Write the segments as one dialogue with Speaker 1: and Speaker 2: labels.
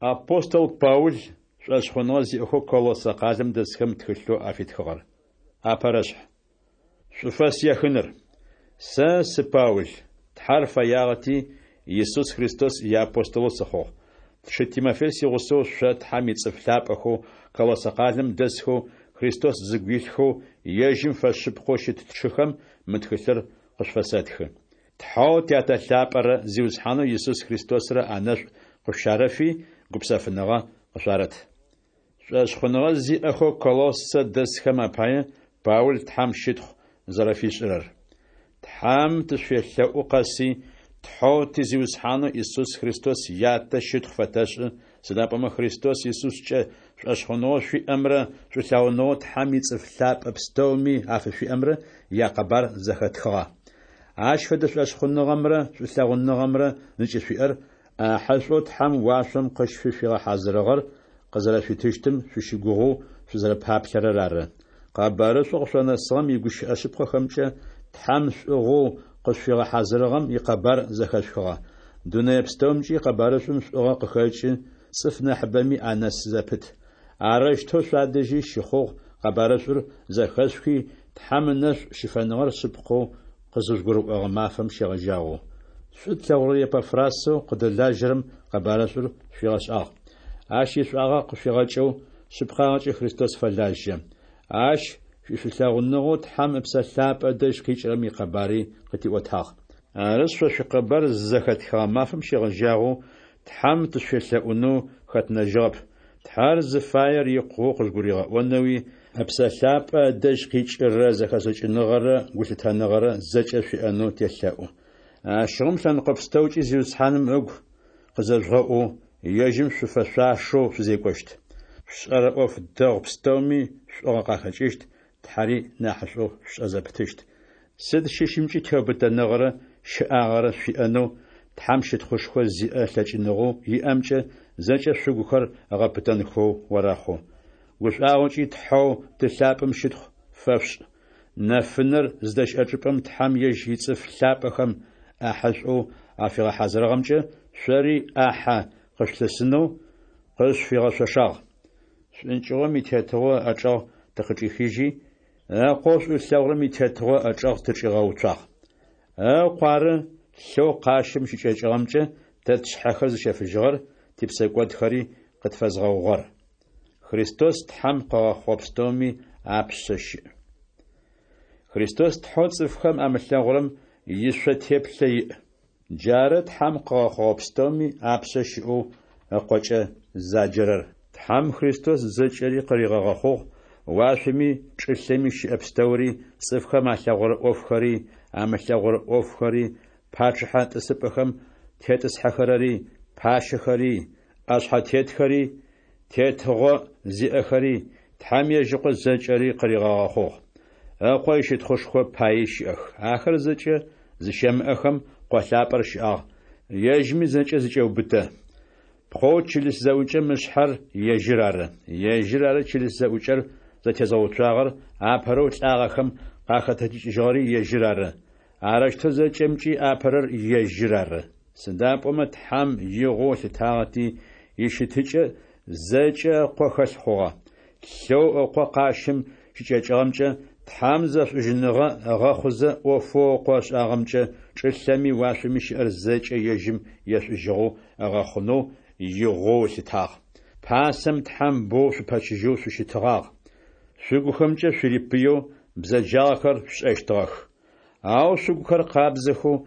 Speaker 1: Апостол Паул шӏошъхъуныгъэ зиӏэхэу Колоссэ къалэм дэсхэм тхылъэу афитхыгъэр. Апэрэшъхь. Шӏуфэс ехыныр. Сэ сы Паул, Тхьэр фэягъэти, Исус Христос иапостолэу сыхъугъ. Тшы Тимофей сигъусэу шъо Тхьэм ицӏыф лъапӏэхэу Колоссэ къалэм дэсхэу, Христос зыгу илъхэу, ежьым фэшъыпкъэу щыт тшыхэм мы тхылъыр къышъуфэсэтхы. Тхьэу Тятэ лъапӏэрэ Зиусхьанэу Исус Христосрэ анэшӏу къышъущарэфи, гупсэфыныгъэ къышъуарэт. Шӏошъхъуныгъэ зиӏэхэу Колоссэ дэсхэм апае Паул Тхьэм щытхъу зэрэфишӏырэр. Тхьэм тышъуфелъэӏу къэси, Тхьэу ти Зиусхьанэу Исус Христос Ятэ щытхъу фэтэшӏы, сыда пӏомэ Христос Исускӏэ шӏошъхъуныгъэу шъуиӏэмрэ шӏулъэгъуныгъэу Тхьэм ицӏыф лъапӏэ пстэуми афышъуиӏэмрэ якъэбар зэхэтхыгъэ. Ащ фэдэ шӏошъхъуныгъэмрэ шӏулъэгъуныгъэмрэ зыкӏышъуиӏэр ӏахьэшӏоу Тхьэм уашъом къышъуфигъэхьазырыгъэр къызэрэшъуитыщтым шъущыгугъэу шъузэрэпаплъэрэр ары. Къэбарышӏоу къышъонэсыгъэм игущыӏэ шъыпкъэхэмкӏэ Тхьэм шӏугъэу къышъуфигъэхьазырыгъэм икъэбар зэхэшъухыгъэ. Дунэе пстэумкӏи къэбарышӏум шӏугъэ къыхэкӏы, цӏыф нахьыбэми анэсы зэпыт. Арэущтэу шъуадэжьи щыхъугъ къэбарышӏур зэхэшъухи, Тхьэм ынэшӏу щыфэныгъэр шъыпкъэу къызыжъугурыӏогъэ мафэм щегъэжьагъэу. Шӏу тлъэгъурэ Епафрасэу къыддэлажьэрэм къэбарышӏур шъуигъэшӏагъ. Ащ ишӏуагъэ къышъуигъэкӏэу, шъыпкъагъэкӏэ Христос фэлажьэ. Ащ шъуишӏулъэгъуныгъэу Тхьэм Ыпсэ Лъапӏэ дэжь къикӏырэм икъэбари къытиӏотагъ. Арышъ, шъо шъуикъэбар зызэхэтхыгъэ мафэм щегъэжьагъэу Тхьэм тышъуфелъэӏунэу хэтынэжьыгъэп, Тхьэр зыфаер икъоу къыжъугуригъэӏонэуи, Ыпсэ Лъапӏэ ыдэжь къикӏырэ зэхэшӏыкӏыныгъэрэ гулъытэныгъэрэ зэкӏэ шъуиӏэнэу телъэӏу. Ащыгъум лъэныкъо пстэукӏи Зиусхьаным ыгу къызэжъугъэӏоу, ежьым шъуфэшъуашэу шъузекӏощт. Шъушӏэрэ ӏоф дэгъу пстэуми шӏугъэ къахэкӏыщт, Тхьэри нахьышӏоу шъушӏэ зэпытыщт. Сыд щыщымкӏи теубытэныгъэрэ щэӏагъэрэ шъуиӏэнэу, Тхьэм щытхъушхо зиӏэ лъэкӏыныгъэу иӏэмкӏэ зэкӏэ шъугухэр ыгъэпытэнхэу орэхъу. Гушӏуагъокӏи Тхьэу Ты лъапӏэм щытхъу фэшъушӏ. Нэфынэр зыдэщыӏэ чӏыпӏэм Тхьэм ежь ицӏыф лъапӏэхэм ӏахьэшӏоу афигъэхьазырыгъэмкӏэ шъори ӏахьэ къышъулъысынэу къышъуфигъэшъошагъ. Шӏункӏыгъом итетыгъо ыӏэчӏэгъ тыкъычӏихыжьи, Ыкъоу шӏу ылъэгъурэм итетыгъо ыӏэчӏэгъ тычӏигъэуцуагъ. Ыкъу ары лъэу къащым щыкӏэкӏыгъэмкӏэ тэ тшъхьэхэр зыщэфыжьыгъэр, типсэкӏодхэри къытфэзгъэгъугъэр. Христос Тхьэм къыгъэхъугъэ пстэуми апшъэ щыӏ. Христос Тхьэу цӏыфхэм амылъэгъурэм ишъо теплъэ иӏ. Джары Тхьэм къыгъэхъугъэ пстэуми апшъэ щыӏэу Ыкъокӏэ заджэрэр. Тхьэм Христос зэкӏэри къыригъэгъэхъугъ, уашъоми чӏылъэми щыӏэ пстэури, цӏыфхэм алъэгъурэ ӏофхэри, амылъэгъурэ ӏофхэри, пачъыхьэ тӏысыпӏэхэм тетӏысхьэхэрэри, пащэхэри, ӏэшъхьэтетхэри, тетыгъо зиӏэхэри, Тхьэм ежь Ыкъо зэкӏэри къыригъэгъэхъугъ. Ыкъо ищытхъушхо паий щыӏэх. Ахэр зэкӏэ зыщэмыӏэхэм Къо лъапӏэр щыӏагъ, ежьми зэкӏэ зэкӏеубытэ. Пкъэу чылыс зэӏукӏэм ышъхьэр ежьыр ары. Ежьыр ары чылыс зэӏукӏэр зэтезгъэуцуагъэр, апэрэу лӏагъэхэм къахэтэджыкӏыжьыгъэри ежьыр ары. Арэущтэу зэкӏэмкӏи апэрэр ежьыр ары. Сыда пӏомэ Тхьэм игъоу ылъытагъэти, ищытыкӏэ зэкӏэ Ыкъо хэлъ хъугъэ. Лъэу Ыкъо къащым щыкӏэкӏыгъэмкӏэ Тхьэм зэшӏужьыныгъэ ыгъэхъузэ, ӏофэу Ыкъо ышӏагъэмкӏэ чӏылъэми уашъоми щыӏэр зэкӏэ ежьым ешӏужьыгъэу ыгъэхъунэу игъоу ылъытагъ. Пасэм Тхьэм боу шъупэчыжьэу шъущытыгъагъ. Шъугухэмкӏэ шъурипыеу бзэджагъэхэр шъушӏэщтыгъэх. Ау шъугухэр къабзэхэу,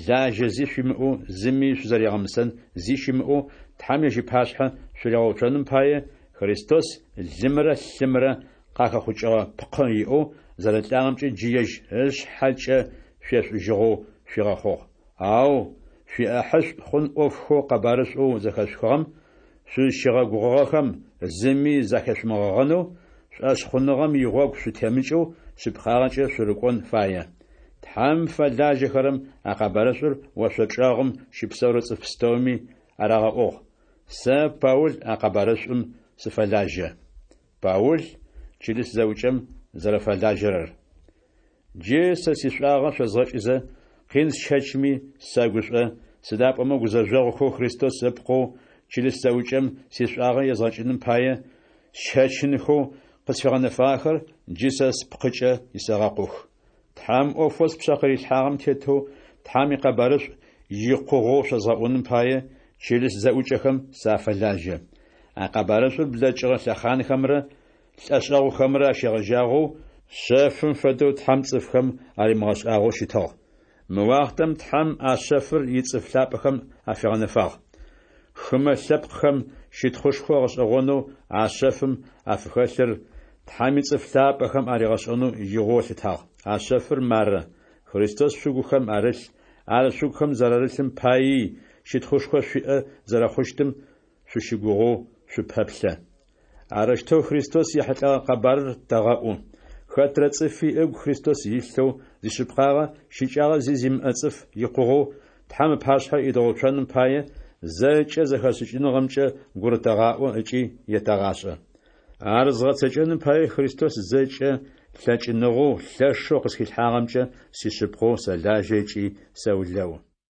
Speaker 1: лажьэ зи шъуимыӏэу, зыми шъузэригъэмысэн зи щымыӏэу Тхьэм ежь ыпашъхьэ шъуригъэуцоным пае, Христос лымрэ лъымрэ къахэхъукӏыгъэ пкъы иӏэу зэрэлӏагъэмкӏэ джы ежь ышъхьэкӏэ шъуешӏужьыгъэу шъуигъэхъугъ. Ау шъуиӏахьышӏу хъун ӏофхэу къэбарышӏоу зэхэшъухыгъэм шъузщигъэгугъыгъэхэм зыми захешъумыгъэгъэнэу, шӏошъхъуныгъэм игъогу шъутемыкӏэу шъыпкъагъэкӏэ шъурыкӏон фае. Тхьэм фэлажьэхэрэм а къэбарышӏур ошъо чӏэгъым щыпсэурэ цӏыф пстэуми арагъэӏугъ. Сэ, Паул, а къэбарышӏум сыфэлажьэ. Паул чылыс зэӏукӏэм зэрэфэлажьэрэр. Джы сэ сишӏуагъэ шъозгъэкӏызэ, къин сщэчми, сэгушӏо, сыда пӏомэ гузэжъогъухэу Христос ыпкъэу чылыс зэӏукӏэм сишӏуагъэ езгъэкӏыным пае, сщэчынхэу къысфигъэнэфагъэхэр джы сэ спкъыкӏэ исэгъэкъух. Тхьэм ӏофэу спшъэ къырилъхьагъэм тетэу Тхьэм икъэбарышӏу икъугъэу шъозгъэӏуным пае, чылыс зэӏукӏэхэм сафэлажьэ. А къэбарышӏур блэкӏыгъэ лъэхъанхэмрэ лӏэшӏэгъухэмрэ ащегъэжьагъэу шъэфым фэдэу Тхьэм цӏыфхэм аримыгъэшӏагъэу щытыгъ. Мы уахътэм Тхьэм а шъэфыр ицӏыф лъапӏэхэм афигъэнэфагъ. Хымэ лъэпкъхэм щытхъушхо гъэшӏэгъонэу а шъэфым афыхэлъыр Тхьэм ицӏыф лъапӏэхэм аригъэшӏэнэу игъоу ылъытагъ. А шъэфыр мары, Христос шъугухэм арылъ, ар шъугухэм зэрарылъым паий, щытхъушхо шъуиӏэ зэрэхъущтым шъущыгугъэу шъупэплъэ. Арэущтэу Христос ехьылӏэгъэ къэбарыр тэгъэӏу. Хэтрэ цӏыфи ыгу Христос илъэу, зишъыпкъагъэ щыкӏагъэ зи зимыӏэ цӏыф икъугъэу Тхьэм ыпашъхьэ идгъэуцоным пае, зэкӏэ зэхэшӏыкӏыныгъэмкӏэ гурытэгъаӏо ыкӏи етэгъашӏэ. Ар згъэцэкӏэным пае Христос зэкӏэ лъэкӏыныгъэу лъэшэу къысхилъхьагъэмкӏэ сишъыпкъэу сэлажьэ ыкӏи сэулэу.